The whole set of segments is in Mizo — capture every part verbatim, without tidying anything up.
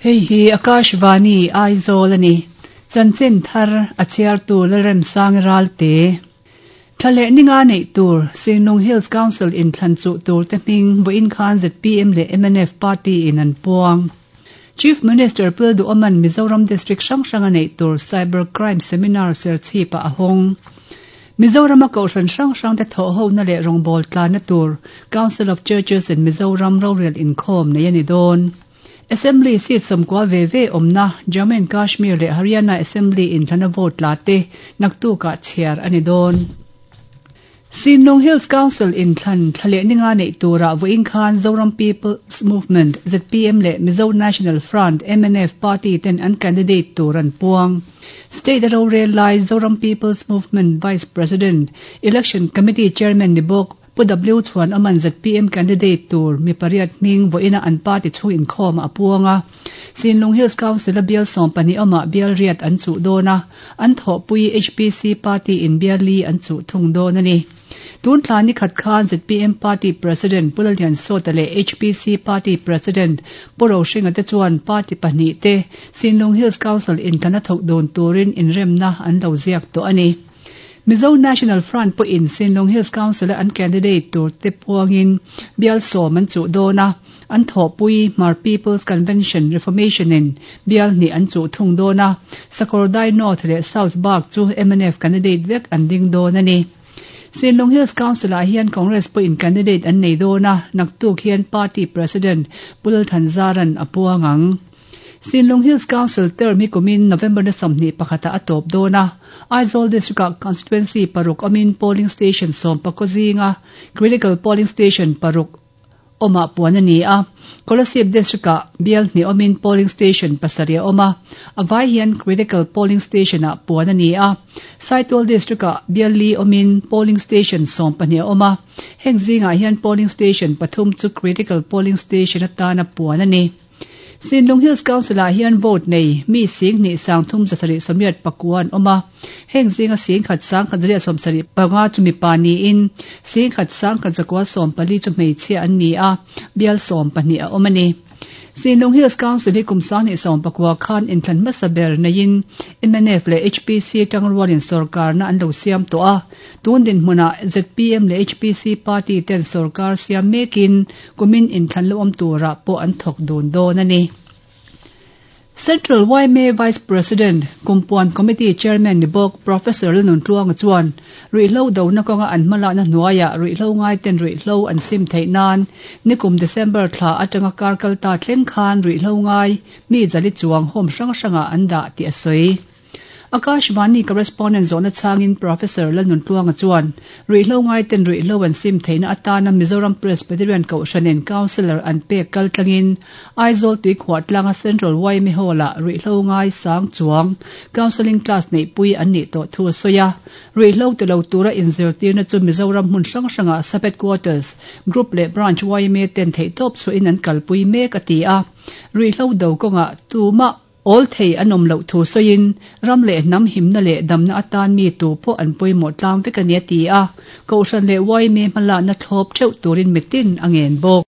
Hei hi Akashvani Aizawl ani. Chanchin thar a chhiartu Lalremsang Ralte. Thale ninga nei tur Sinlung Hills Council in thlan chu tur te hming vawiin khan Z P M leh M N F party in an puang. Chief Minister Pu Duhoma'n Mizoram District hrang hranga neih tur Cyber Crime Seminar Serchhip ah a hawng. Mizoram a kohhran hrang hrang te thawh ho na leh rawngbawl tlan na tur Council of Churches in Mizoram rorel inkhawm nei ani dawn. Assembly seat sawmkua ve ve awmna Jammu and Kashmir leh Haryana Assembly inthlana vote tla te naktukah chhiar ani dawn. Sinlung Hills Council inthlan thlaleh ninga neih turah vawiin khan Zoram People's Movement Z P M leh Mizo National Front M N F party ten an candidate tur an puang. State rorel lai Zoram People's Movement Vice President, Election Committee Chairman ni bawk Pu W Chhuanawma'n Z P M candidate tur mi pariat hming vawiina an party chhung inkhawm a puang a. Sinlung Hills Council a bial sawm pahnih awmah bial riat an chuh dawn a, an thawhpui H P C party in bial li an chuh thung dawn a ni. Tun thla ni khat khan Z P M party President Pu Lalliansawta leh H P C party President Pu Rohringa te chuan party pahnih te Sinlung Hills Council inthlana thawk dun turin inremna an lo ziak tawh a ni. Mizo National Front pawhin Sinlung Hills Council a an candidate tur te puangin bial sawm an chuh dawn a, an thawhpui Hmar People's Convention Reformation in bial hnih an chuh thung dawn a, Sakawrdai North leh South bak chu M N F candidate vek an ding dawn a ni. Sinlung Hills Council ah hian Congress pawhin candidate an nei dawn a, naktuk hian party President Pu Lal Thanzara'n a puang ang. Sinlung Hills Council term hi kumin November ni sawmhnih pakhata a tawp dawn a. Aizawl District ah constituency paruk awmin polling station sawm pakua zinga critical polling station paruk awmah puan a ni a. Kolasib District ah bial hnih awmin polling station pasarih a awm a, a vai hian critical polling station ah puan a ni a. Saitual District ah bial li awmin polling station sawm pahnih a awm a, heng zingah hian polling station pathum chu critical polling station atana puan a ni. Sinlung Hills Council ah hian vote nei mi sing hnih sang thum zasarih sawmriat pakua an awm a, heng zinga sing khat sang khat zariat sawmsarih panga chu mipa niin sing khat sang khat zakua sawm pali chu hmeichhia an ni a, bial sawm pahnih a awm a ni. Sinlung Hills Council hi kum sang hnih sawm pakua khan inthlan hmasa ber neiin M N F leh H P C tangrualin sorkarna an lo siam tawh a. Tun dinhmunah Z P M leh H P C party ten sorkar siam mekin kumin inthlan lo awm turah pawh an thawk dun dawn a ni. Central Y M A Vice President, Kumpuan Committee Chairman ni bawk Professor Lalnuntluanga chuan ruihhlo dona kawnga an hmalakna hnuaiah ruihhlo ngai ten ruihhlo an sim theih nan nikum December thla atanga kar kalta thleng khan ruihhlo ngai mi zali chuang home hrang hrangah an dah tih a sawi. Akashvani correspondent zawhna chhangin Professor Lalnuntluanga chuan ruihhlo ngai ten ruihhlo an sim theihna atana Mizoram Presbyterian Kohhranin Councillor an pek kal tlangin Aizawl Tuikhuah tlanga Central Y M A Hall-ah ruihhlo ngai sang chuang counselling class neihpui an nih tawh thu a sawi a. Ruihhlo tilo tura inzirtirna chu Mizoram hmun hrang hrangah sub headquarters, group leh branch Y M A ten theihtawp chhuahin an kalpui mek a ti a. Ruihhlo do kawngah tumah awl thei an awm loh thu sawiin ram leh hnam himna leh damna atan mi tu pawh an pawimawh tlang vek a ni a ti a. Kohhran leh Y M A hmalakna thlawp theuh turin mitin a ngen bawk.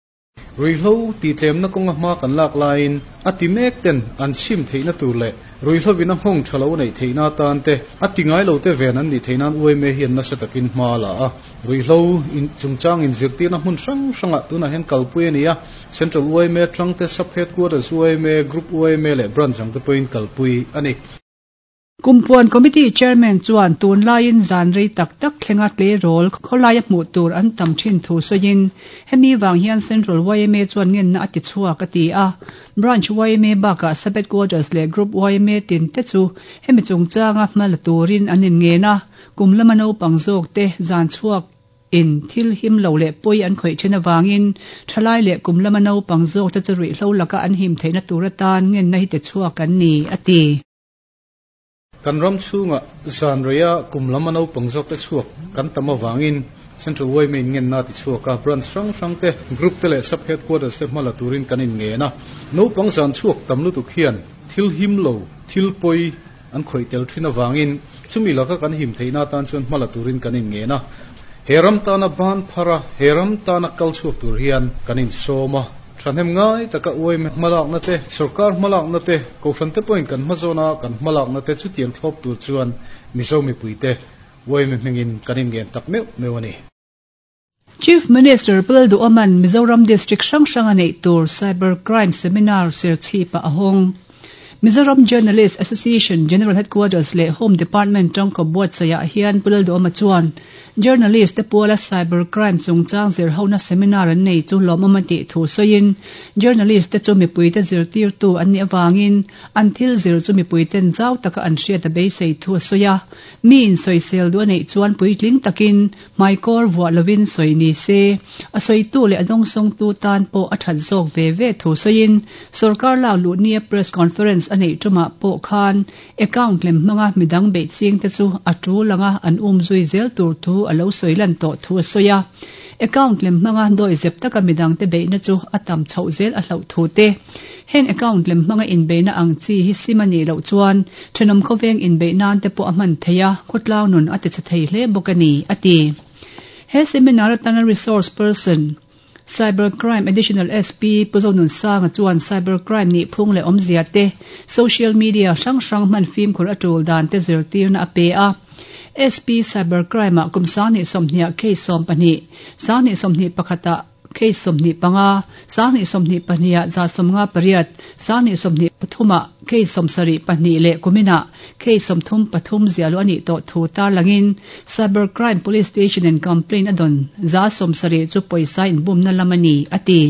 Ruihhlo tihtlem kawnga hma kan lak laiin a ti mek ten an sim theihna tur leh ruihhlovin a nghawng tha lo neih theihna atan te a ti ngai lo te ven an nih theihnan Y M A hian nasa takin hma la a. Ruihhlo in chungchang in zirtirna hmun hrang hrangah tunah hian kalpui a ni a. Central Y M A tang te, sub headquarters Y M A, group Y M A leh branch ang te pawhin kalpui a ni. Kumpuan Committee Chairman chuan tun laiin zan rei tak tak thlenga tleirawl khawlaia hmuh tur an tam thin thu sawiin hemi wang hian Central Y M A chuan ngenna a ti chhuak a ti a. Branch Y M A bakah sub headquarters leh group Y M A tin te chu hemi chungchanga hmala turin an inngen a. Kum lama naupang zawk te zan chhuak in thil him lo leh pawi an khawih then awangin thalai leh kum lama naupang zawk te chu ruihhlo laka an him theihna tur atan ngenna hi ti chhuak an ni a ti. Kan ram chhunga zan reia kum lama naupang zawk te chhuak kan tam awangin Central Y M A in ngen na ti chhuak a. Branch hrang hrang te, group te leh sub headquarters te hmala turin kan in ngen a. Naupang zan chhuak tam lutuk hian thil him lo, thil pawi an khawih tel thin awangin chumi laka kan him theihna tan chuan hmala turin kan in ngen a. He ram tana ban phara, he ram tana kal chhuak tur hian kan in sawm a. Thahnem ngai taka Y M A hmalakna te, sorkar hmalakna te, kohhran te pawhin kan hmazawna kan hmalakna te chutiang thlawp tur chuan Mizo mipuite Y M A hmingin kan inngen tak meuh meuh a ni. Chief Minister Pu Lalduhoma'n Mizoram District hrang hranga neih tur Cyber Crime Seminar Serchhip-ah a hawng. Mizoram Journalist Association General Headquarters leh Home Department tangkawp buatsaihah hian Pu Lalduhoma chuan Journalist te puala Cyber Crime chungchang zirhona seminar an nei chu lawmawm a tih thu sawiin Journalist te chu mipuite zirtirtu an nih avangin an thil zir chu mipuiten zau taka an hriat a beisei thu a sawi a. Miin sawisel duh a neih chuan puitling takin hmaikawr vuah lovin sawi ni se, a sawitu leh a dawngsawngtu tan pawh a that zawk ve ve thu sawiin sorkar lak luh nia press conference a neih tumah pawh khan account lem hmanga midang beih ching te chu a tul anga an umzui zel tur thu a lo sawi lan tawh thu a sawi a. Account lem hmanga dawi zep taka midang te beihna chu a tam chhoh zel a hlauh thu te, heng account lem hmanga inbeihna ang chi hi sim a nih loh chuan thenawm khawveng inbeih nan te pawh a hman theih a, khawtlang nun a tichhe thei hle bawk a ni, a ti. He seminar atana resource person, Cyber Crime Additional S P Pu Zonunsanga chuan cyber crime nih phung leh awmzia te, social media hrang hrang hman fimkhur a tul dan te zirtirna a pe a. S P Cyber Crime ah kum sanghnih sawmhnih ah case sawm pahnih, sanghnih sawmhnih pakhat ah case sawmhnih panga, sanghnih sawmhnih pahnih ah za sawmnga pariat, sanghnih sawmhnih pathum ah case sawmsarih pahnih leh kumin ah case sawmthum pathum ziahluh a nih tawh thu tarlangin Cyber Crime Police Station in complaint a dawn za sawmsarih chu pawisa inbumna lam a ni, a ti.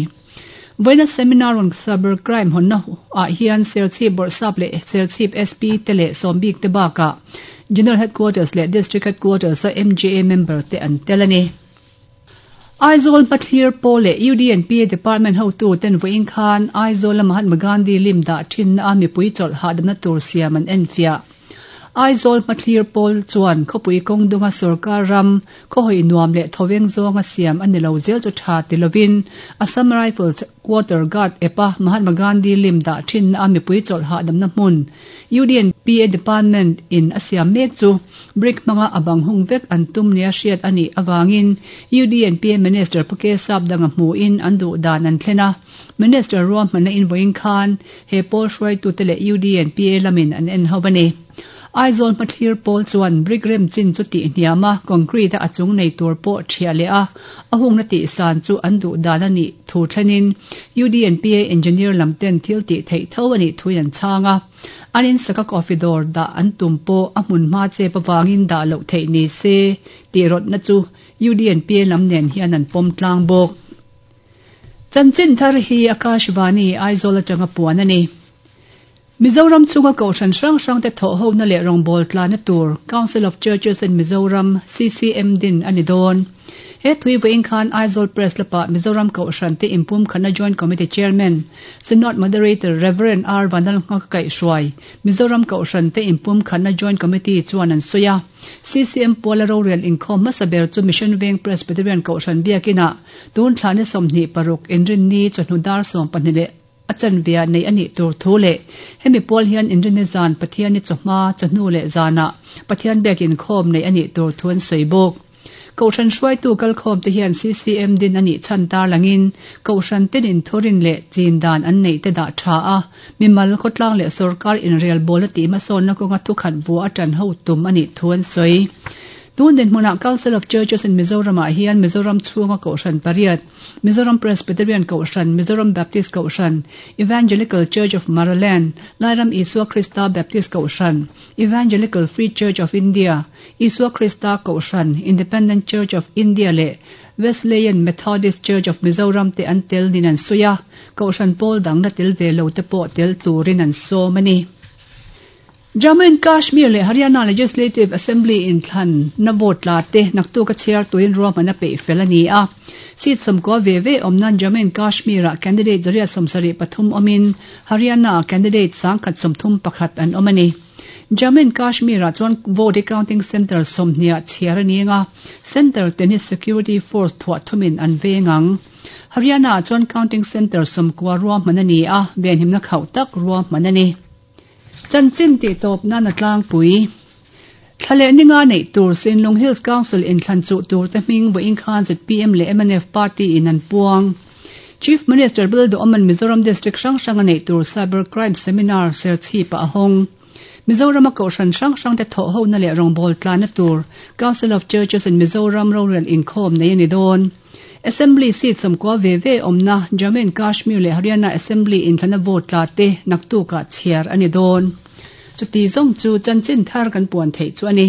Vawiina seminar on cyber crime hawnna ah hian Serchhip Bawrhsap leh Serchhip S P te leh Sawmbik te bakah General Headquarters leh District Headquarters a M J A member te an tel a ni. Aizawl Hmathlir Pawl leh U D N P A Department hotu ten vawiin khan Aizawl a Mahatma Gandhi lim dah thinna a mipui chawlh hahdamna tur siam an enfiah. Aizawl Hmathlir Pawl chuan khawpui kawng dunga sorkar ram khawhawi nuam leh thawveng zawnga siam a ni lo zel chu tha ti lovin Assam Rifles Quarter Guard epa Mahatma Gandhi lim dah thinna a mipui chawlh hahdamna hmun U D N P A Department in a siam mek chu brick hmanga a bang hung vek an tum nia hriat a nih awangin U D N P A Minister Pu K Sapdanga hmuin an duh dan an thlen a. Minister ruahmanna in vawiin khan he pawl hruaitute leh U D N P A lamin an en ho a ni. Aizawl Hmathlir Pawl chuan brick rem chin chu tih hniam a, concrete a a chung nei tur pawh thiah leh a, a hungna tih san chu an duh dan a nih thu thlenin U D N P A engineer lam ten thil tih theih tho a nih thuin an chhang a. An in saka coffee dawr dah an tum pawh a hmun hma chep avangin dah loh theih ni se tih rawtna chu U D N P A lam nen hian an pawm tlang bawk. Chanchin thar hi Akashvani Aizawl atanga puan a ni. Mizoram chhunga kohhran hrang hrang te thawh hona leh rawngbâwl tlana tur Council of Churches in Mizoram C C M din a ni dawn. He thui vawiin khan Aizawl Press Club-ah Mizoram Kohhran te Inpum Khatna Joint Committee Chairman Synod Moderator Reverend R Vanlalnghaka kaihhruai Mizoram Kohhran te Inpum Khatna Joint Committee chuan an sawi a. C C M puala rorel inkhawm hmasa ber chu Mission Veng Presbyterian Kohhran biakinah tun thla ni sawmhnih paruk inrinni chawhnu dar sawm pahnih leh a chanve ah neih a nih tur thu leh hemi pual hian inrinni zan Pathian ni chawhma chawhnu leh zanah Pathian biak inkhawm neih a nih tur thu an sawi bawk. Kohhran hruaitu kalkhawm te hian C C M din a nih chhan tarlangin kohhran tenin thurin leh chin dan an neih te dah tha a, mimal khawtlang leh sorkar inrelbawl a tih hmasawnna kawnga thukhat vua a tan ho tum a nih thu an sawi. Tun dinhmunah Council of Churches in Mizoram ah hian Mizoram chhunga kohhran pariat, Mizoram Presbyterian Kohhran, Mizoram Baptist Kohhran, Evangelical Church of Maraland, Lairam Isua Krista Baptist Kohhran, Evangelical Free Church of India, Isua Krista Kohhran, Independent Church of India leh Wesleyan Methodist Church of Mizoram te an tel nin an sawi a, kohhran pawl dang la tel ve lo te pawh tel turin an sawm a ni. Jammu and Kashmir leh Haryana Legislative Assembly inthlan na vote la te naktuk a chhiar tuin ruahman a peih fel a ni a. Seat sawmkua ve ve awm nan Jammu and Kashmir ah candidate zariat sawmsarih pathum awmin Haryana ah candidate sangkhat sawmthum pakhat an awm a ni. Jammu and Kashmir ah chuan vote counting center sawmhnih ah chhiar a ni anga, center te hi security force thuah thumin an veng ang. Haryana ah chuan counting center sawmkua ruahman a ni a, venhimna khauh tak ruahman a ni. Chanchin tih tawp nan a tlangpui. Thla leh ninga neih tur Sinlung Hills Council inthlan chuh tur te hming vawiin khan Z P M leh M N F party in an puang. Chief Minister Lalduhoma'n Mizoram District hrang hranga neih tur Cyber Crime Seminar Serchhip-ah a hawng. Mizorama kohhran hrang hrangte thawhhona leh rawngbâwl tlanna tur Council of Churches in Mizoram rorel inkhawm nei a ni dawn. Assembly seat sawmkua ve ve awmna Jammu and Kashmir leh Haryana Assembly inthlana vote tla te naktukah chhiar a ni dawn. Chuti zawng chu chanchin thar kan puan theih chu a ni.